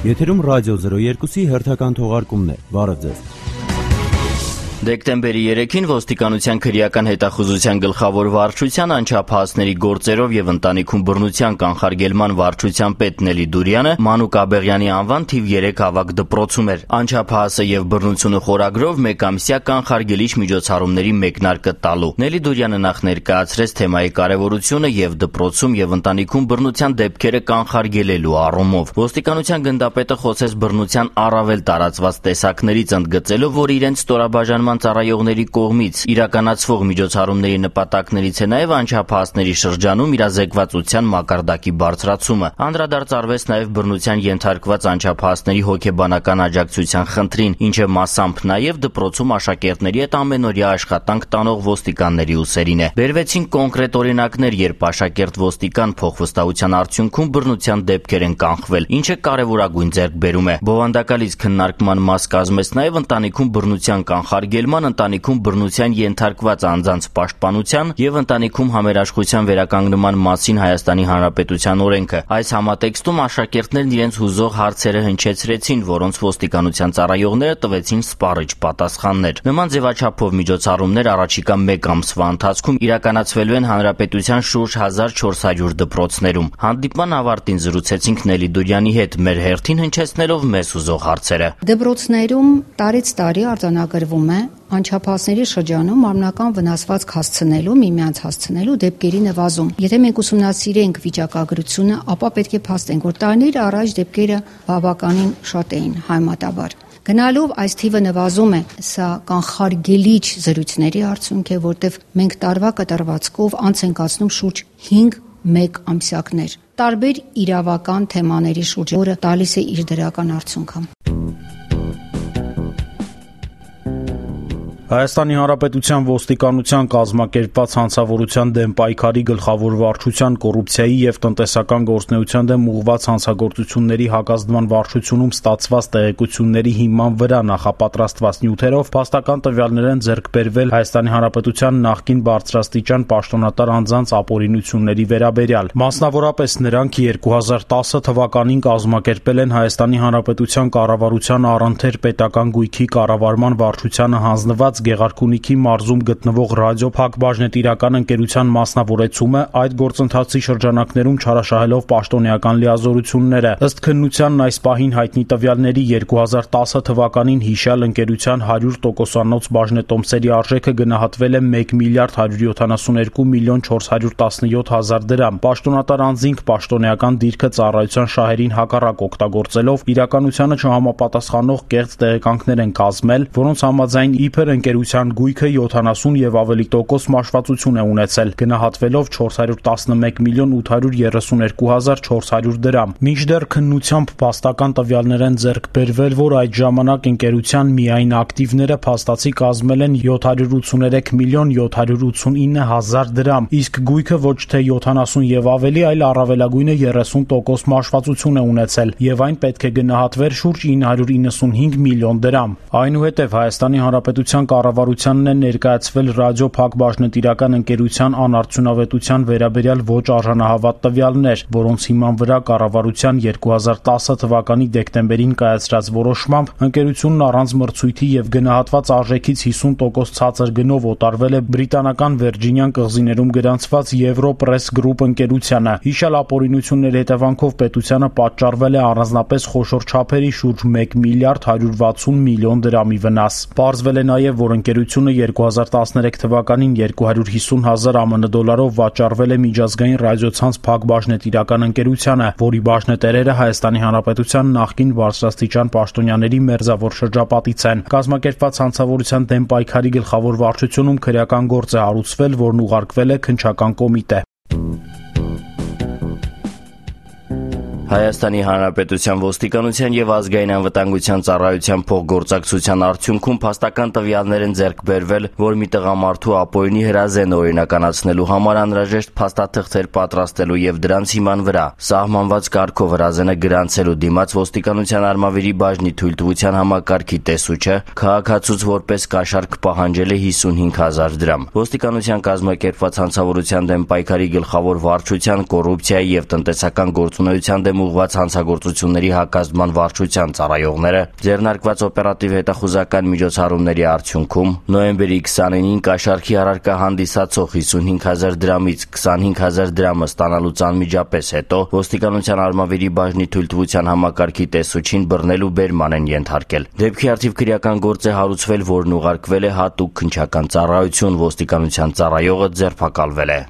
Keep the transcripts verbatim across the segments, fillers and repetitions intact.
Եթերում ռադիո զրո երկուսի հերթական թողարկումն է։ Բարև ձեզ։ Դեկտեմբերի երեքին ոստիկանության քրեական հետախուզության գլխավոր վարչության անչափահասների գործերով եւ ընտանիքում բռնության կանխարգելման վարչության պետ Նելի Դուրյանը Մանուկ Աբեղյանի անվան թիվ երեք ավագ դպրոցում էր։ Անչափահասը եւ բռնությունը խորագրով մեկամսյա կանխարգելիչ միջոցառումների մեկնարկը տալու։ Նելի Դուրյանը նախ ներկայացրեց թեմայի կարեւորությունը եւ դպրոցում եւ ընտանիքում բռնության դեպքերը կանխարգելելու առումով։ Ոստիկանության գնդապետը խոսեց բռնության առավել տարածված տեսակներից, ընդգծելով, որ իրենց ստորաբաժանման ծառայողների կողմից իրականացվող միջոցառումների նպատակներից է նաև անչափահասների շրջանում իրազեկվածության մակարդակի բարձրացումը։ Անդրադարձ արվեց նաև բռնության ենթարկված անչափահասների հոգեբանական աջակցության խնդրին, ինչը մասամբ նաև դպրոցում աշակերտների հետ ամենօրյա աշխատանք տանող ոստիկանների ուսերին է։ Բերվեցին կոնկրետ օրինակներ, երբ աշակերտ ոստիկան փոխվստահության արդյունքում բռնության դեպքեր են կանխվել, ինչը կարևորագույն ձեռքբերում է։ Բովանդակալից քննարկման մաս կազմեց նաև ընտանիքում բռնության կանխարգելման, ընտանիքում բռնության ենթարկված անձանց պաշտպանության եւ ընտանիքում համերաշխության վերականգնման մասին Հայաստանի Հանրապետության օրենքը։ Այս համատեքստում աշակերտներն իրենց հուզող հարցերը հնչեցրեցին, որոնց ոստիկանության ծառայողները տվեցին սպառիչ պատասխաններ։ Նման ձևաչափով միջոցառումներ առաջիկա մեկ ամսվա ընթացքում իրականացվելու են Հանրապետության շուրջ հազար չորս հարյուր դպրոցներում։ Հանդիպման ավարտին զրուցեցինք Նելի Դուրյանի հետ, մեր հերթին հնչեցնելով մեզ հուզող հարցերը։ Դպրոցներում տարից տարի արձանագրվում է անչափահասների շրջանում մարմնական վնասվածք հասցնելու, միմյանց հասցնելու դեպքերի նվազում։ Եթե մենք ուսումնասիրենք վիճակագրությունը, ապա պետք է փաստենք, որ տարիներ առաջ դեպքերը բավականին շատ էին համեմատաբար։ Գնալով այս թիվը նվազում է, սա կանխարգելիչ զրույցների արդյունք է, որտեղ մենք տարվա կտրվածքով անց ենք անցնում շուրջ հինգ մեկ ամսյակներ։ Տարբեր իրավական թեմաների շուրջ, որը տալիս է իր դրական արդյունքը։ Հայաստանի Հանրապետության ոստիկանության կազմակերպված հանցավորության դեմ պայքարի գլխավոր վարչության կոռուպցիայի եւ տնտեսական գործունեության դեմ ուղղված հանցագործությունների հակազդման վարչությունում ստացված տեղեկությունների հիման վրա նախապատրաստված նյութերով փաստական տվյալներ են ձեռք բերվել Հայաստանի Հանրապետության նախկին բարձրաստիճան պաշտոնատար անձանց ապօրինությունների վերաբերյալ։ Մասնավորապես նրանք երկու հազար տասը թվականին կազմակերպել են Հայաստանի Հանրապետության կառավարության առընթեր պետական գույքի կառավարման վարչությանը հանձնված Գեղարքունիքի մարզում գտնվող ռադիո փակbaşնետիրական ընկերության մասնավորեցումը, այդ գործընթացի շրջանակներում չարաշահելով պաշտոնեական լիազորությունները։ Ըստ քննությանն այս պահին հայտնի տվյալների երկու հազար տասը թվականին հիշյալ ընկերության հարյուր տոկոսանոց բաժնետոմսերի արժեքը գնահատվել է մեկ միլիարդ հարյուր յոթանասունյոթ միլիոն չորս հարյուր տասնյոթ հազար դրամ։ Պաշտոնատար անձինք պաշտոնեական դիրքը ծառայության շահերին հակառակ օգտագործելով իրականությանը չհամապատասխանող կեղծ տեղեկանքներ են կազմել, որոնց համաձայն իբր ընկերության գույքը յոթանասուն եւ ավելի տոկոս մաշվածություն է ունեցել, գնահատվելով չորս հարյուր տասնմեկ միլիոն ութ հարյուր երեսուներկու հազար չորս հարյուր դրամ։ Մինչդեռ քննությամբ փաստական տվյալներ են ձեռք բերվել, որ այդ ժամանակ ընկերության միայն ակտիվները փաստացի կազմել են յոթ հարյուր ութսուներեք միլիոն յոթ հարյուր ութսունինը հազար դրամ, իսկ գույքը ոչ թե յոթանասուն եւ ավելի, այլ առավելագույնը երեսուն տոկոս մաշվածություն է ունեցել, եւ այն պետք է գնահատվեր շուրջ ինը հարյուր իննսունհինգ միլիոն դրամ։ Այնուհետև Հայաստանի Հանրապետության կառավարությանն է ներկայացվել ռադիո փակbaşնետիրական ընկերության անարդյունավետության վերաբերյալ ոչ արժանահավատ տվյալներ, որոնց հիման վրա կառավարության երկու հազար տասը թվականի դեկտեմբերին կայացրած որոշմամբ ընկերությունն առանց մրցույթի եւ գնահատված արժեքից հիսուն տոկոս ցածր գնով օտարվել է բրիտանական Վերջինիան կղզիներում գրանցված Եվրոպրես գրուպ ընկերությանը։ Հիշյալ ապօրինությունների հետևանքով պետությանը պատճառվել է առանձնապես խոշոր չափերի շուրջ մեկ միլիարդ հարյուր վաթսուն միլիոն դրամի վնաս։ Պարզվել է նաեւ, որ ընկերությունը երկու հազար տասներեք թվականին երկու հարյուր հիսուն հազար ԱՄՆ դոլարով վաճառվել է միջազգային ռադիոցանց փակbaşնետիրական ընկերությանը, որի բաժնետերերը Հայաստանի Հանրապետության նախկին բարձրաստիճան պաշտոնյաների մերձավոր շրջապատից են։ Կազմակերպված հանցավորության դեմ պայքարի գլխավոր վարչությունում քրեական գործ է հարուցվել, որն ուղարկվել է քննչական կոմիտե։ Հայաստանի Հանրապետության ոստիկանության եւ ազգային անվտանգության ծառայության փոխգործակցության արդյունքում փաստական տվյալներ են ձեռք բերվել, որ մի տղամարդու ապօրինի հրազեն օրինականացնելու համար անհրաժեշտ փաստաթղթեր պատրաստելու եւ դրանց հիման վրա սահմանված կարգով հրազենը գրանցելու դիմաց ոստիկանության արմավիրի բաժնի թույլտվության համակարգի տեսուչը քաղաքացուց որպես կաշառք պահանջել է հիսունհինգ հազար դրամ։ Ոստիկանության կազմակերպված հանցավորության դեմ պայքարի գլխավոր վարչության կոռուպցիայի եւ տնտեսական գործունեության դեմ դեմ ուղղված հանցագործությունների հակազդման վարչության ծառայողները ձեռնարկված օպերատիվ հետախուզական միջոցառումների արդյունքում նոյեմբերի քսաներկուին կաշառքի առարկա հանդիսացող հիսունհինգ հազար դրամից քսանհինգ հազար դրամը ստանալուց անմիջապես հետո ոստիկանության արմավիրի բաժնի թույլտվության համակարգի տեսուչին բռնել ու բերման են ենթարկել։ Դեպքի առթիվ քրեական գործ է հարուցվել, որն ուղարկվել է հատուկ քննչական ծառայություն, ոստիկանության ծառայողը ձերբակալվել է։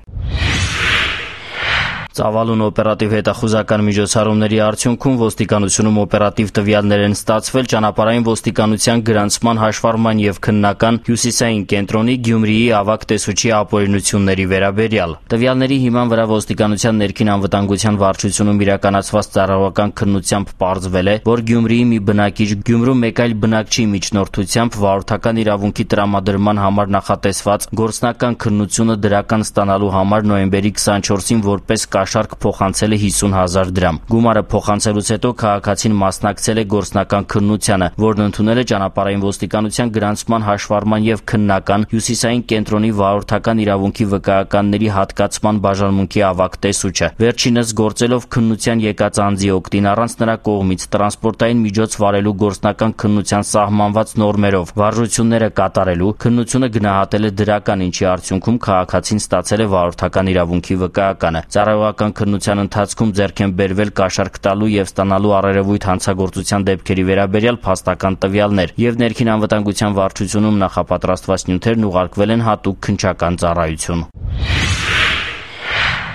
Ծավալուն օպերատիվ հետախուզական միջոցառումների արդյունքում ոստիկանությունում օպերատիվ տվյալներ են ստացվել ճանապարհային ոստիկանության գրանցման հաշվառման եւ քննական հյուսիսային կենտրոնի Գյումրիի ավագ տեսուչի ապօրինությունների վերաբերյալ։ Տվյալների հիման վրա ոստիկանության ներքին անվտանգության վարչությունում իրականացված ծառայողական քննությամբ պարզվել է, որ Գյումրիի մի բնակիչ Գյումրու մեկ այլ բնակչի միջնորդությամբ վարորդական իրավունքի տրամադրման համար նախատեսված գործնական քննությունը դրական ստանալու համար նոյեմբերի քսանչորսին որպես կաշառք փոխանցել է հիսուն հազար դրամ։ Գումարը փոխանցելուց հետո քաղաքացին մասնակցել է գործնական քննությանը, որն ընդունել է ճանապարհային ոստիկանության գրանցման հաշվառման եւ քննական հյուսիսային կենտրոնի վարորդական իրավունքի վկայականների հատկացման բաժանմունքի ավագ տեսուչը։ Վերջինս գործելով քննության եկած անձի օգտին առանց նրա կողմից տրանսպորտային միջոց վարելու գործնական քննության սահմանված նորմերով վարժությունները կատարելու քննությունը գնահատել է դրական, ինչի արդյունքում քաղաքացին ստացել է վարորդական իրավունքի վկայականը։ Ծառայողական քննության ընթացքում ձեռք են բերվել կաշառք տալու եւ ստանալու առերևույթ հանցագործության դեպքերի վերաբերյալ փաստական տվյալներ եւ ներքին անվտանգության վարչությունում նախապատրաստված նյութերն ուղարկվել են հատուկ քննչական ծառայություն։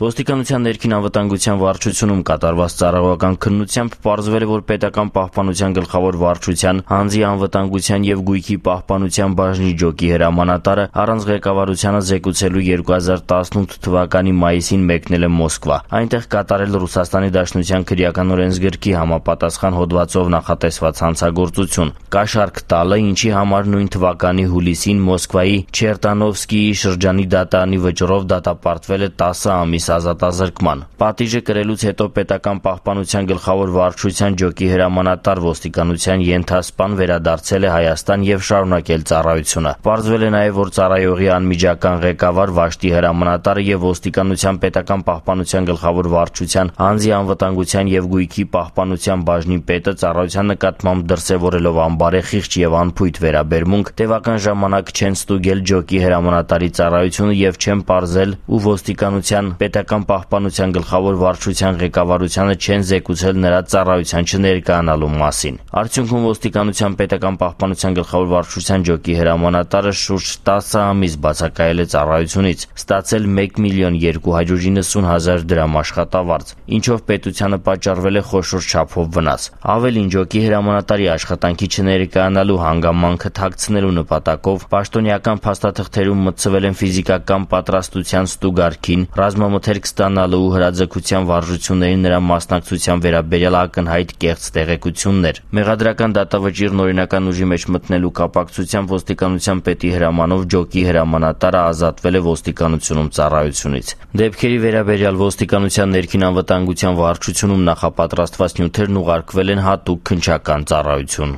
Ոստիկանության ներքին անվտանգության վարչությունում կատարված ծառայողական քննությամբ պարզվել է, որ պետական պահպանության գլխավոր վարչության հանձի անվտանգության եւ գույքի պահպանության բաժնի ջոկի հրամանատարը առանց ղեկավարությանը զեկուցելու երկու հազար տասնութ թվականի մայիսին մեկնել է Մոսկվա, այնտեղ կատարել Ռուսաստանի Դաշնության քրեական օրենսգրքի համապատասխան հոդվածով նախատեսված հանցագործություն, կաշառք տալը, ինչի համար նույն թվականի հուլիսին Մոսկվայի Չերտանովսկիի շրջանի դատարանի վճռով դատապարտվել է տասը ամիս ազատազրկման։ Պատիժը կրելուց հետո պետական պահպանության գլխավոր վարչության ջոկի հրամանատար ոստիկանության ենթասպան վերադարձել է Հայաստան եւ շարունակել ծառայությունը։ Պարզվել է նաեւ, որ ծառայողի անմիջական ղեկավար Վաշտի հրամանատարը եւ ոստիկանության պետական պահպանության գլխավոր վարչության հանձի անվտանգության եւ գույքի պահպանության բաժնի պետը ծառայության նկատմամբ դրսեւորելով անբարեխիղճ եւ անփույթ վերաբերմունք տևական ժամանակ չեն ստուգել ջոկի հրամանատարի ծառայությունը եւ չեն պարզել ու ոստիկանության պետական պահպանության գլխավոր վարչության ղեկավարությանը չեն զեկուցել նրա ծառայության չներկայանալու մասին։ Արդյունքում ոստիկանության պետական պահպանության գլխավոր վարչության ջոկի հրամանատարը շուրջ տասը ամիս բացակայել է ծառայությունից, ստացել մեկ միլիոն երկու հարյուր իննսուն հազար դրամ աշխատավարձ, ինչով պետությանը պատճառվել է խոշոր չափով վնաս։ Ավելին, ջոկի հրամանատարի աշխատանքի չներկայանալու հանգամանքը թաքցնելու նպատակով պաշտոնյական փաստաթղթերում մտցվել են ֆիզիկական պատրաստության ստուգարքին, ռազմամթերք ստանալու ու հրաձգության վարժությունների նրա մասնակցության վերաբերյալ ակնհայտ կեղծ տեղեկություններ։ Մեղադրական դատավճիռն օրինական ուժի մեջ մտնելու կապակցությամբ ոստիկանության պետի հրամանով ջոկի հրամանատարը ազատվել է ոստիկանությունում ծառայությունից։ Դեպքերի վերաբերյալ ոստիկանության ներքին անվտանգության վարչությունում նախապատրաստված նյութերն ուղարկվել են հատուկ քննչական ծառայություն։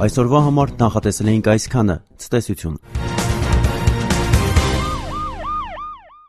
Այսօրվա համար նախատեսել էինք այսքանը։ Ցտեսություն։